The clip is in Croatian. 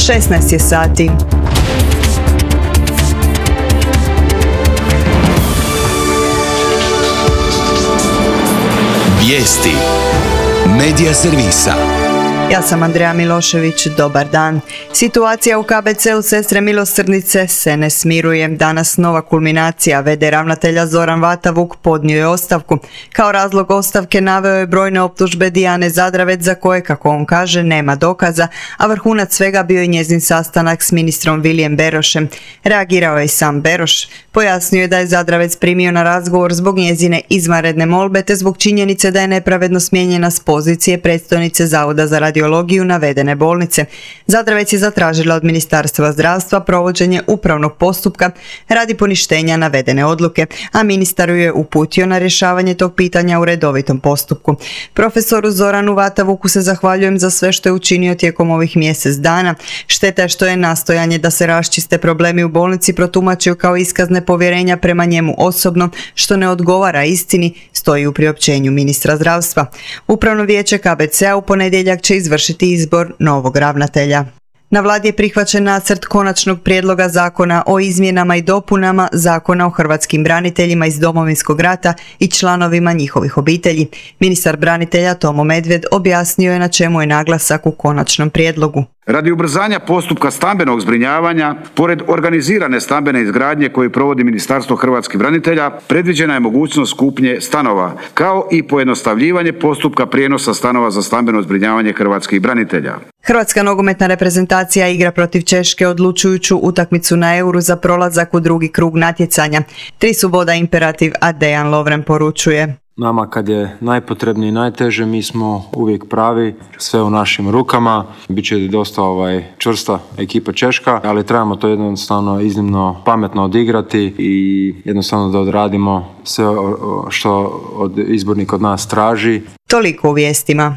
16 je sati. Vijesti Medija servisa. Ja sam Andreja Milošević, dobar dan. Situacija u KBC-u Sestre milosrdnice se ne smiruje. Danas nova kulminacija. V.d. ravnatelja Zoran Vatavuk podnio je ostavku. Kao razlog ostavke naveo je brojne optužbe Dijane Zadravec za koje, kako on kaže, nema dokaza, a vrhunac svega bio je njezin sastanak s ministrom Vilijem Berošem. Reagirao je i sam Beroš. Pojasnio je da je Zadravec primio na razgovor zbog njezine izvanredne molbe te zbog činjenice da je nepravedno smijenjena s pozicije predstojnice Zavoda za radiologiju navedene bolnice. Zadravec je zatražila od Ministarstva zdravstva provođenje upravnog postupka radi poništenja navedene odluke, a ministar ju je uputio na rješavanje tog pitanja u redovitom postupku. Profesoru Zoranu Vatavuku se zahvaljujem za sve što je učinio tijekom ovih mjesec dana. Šteta je što je nastojanje da se raščiste problemi u bolnici protumačio kao iskaz nepovjerenja prema njemu osobno, što ne odgovara istini, stoji u priopćenju ministra zdravstva. Upravno vijeće KBC-a u ponedjeljak će izvršiti izbor novog ravnatelja. Na vladi je prihvaćen nacrt konačnog prijedloga zakona o izmjenama i dopunama Zakona o hrvatskim braniteljima iz Domovinskog rata i članovima njihovih obitelji. Ministar branitelja Tomo Medved objasnio je na čemu je naglasak u konačnom prijedlogu. Radi ubrzanja postupka stambenog zbrinjavanja, pored organizirane stambene izgradnje koju provodi Ministarstvo hrvatskih branitelja, predviđena je mogućnost kupnje stanova, kao i pojednostavljivanje postupka prijenosa stanova za stambeno zbrinjavanje hrvatskih branitelja. Hrvatska nogometna reprezentacija igra protiv Češke odlučujuću utakmicu na Euru za prolazak u drugi krug natjecanja. 3 su boda imperativ, a Dejan Lovren poručuje: nama kad je najpotrebnije i najteže, mi smo uvijek pravi, sve u našim rukama. Biće dosta čvrsta ekipa Češka, ali trebamo to jednostavno iznimno pametno odigrati i jednostavno da odradimo sve što od izbornik od nas traži. Toliko u vijestima.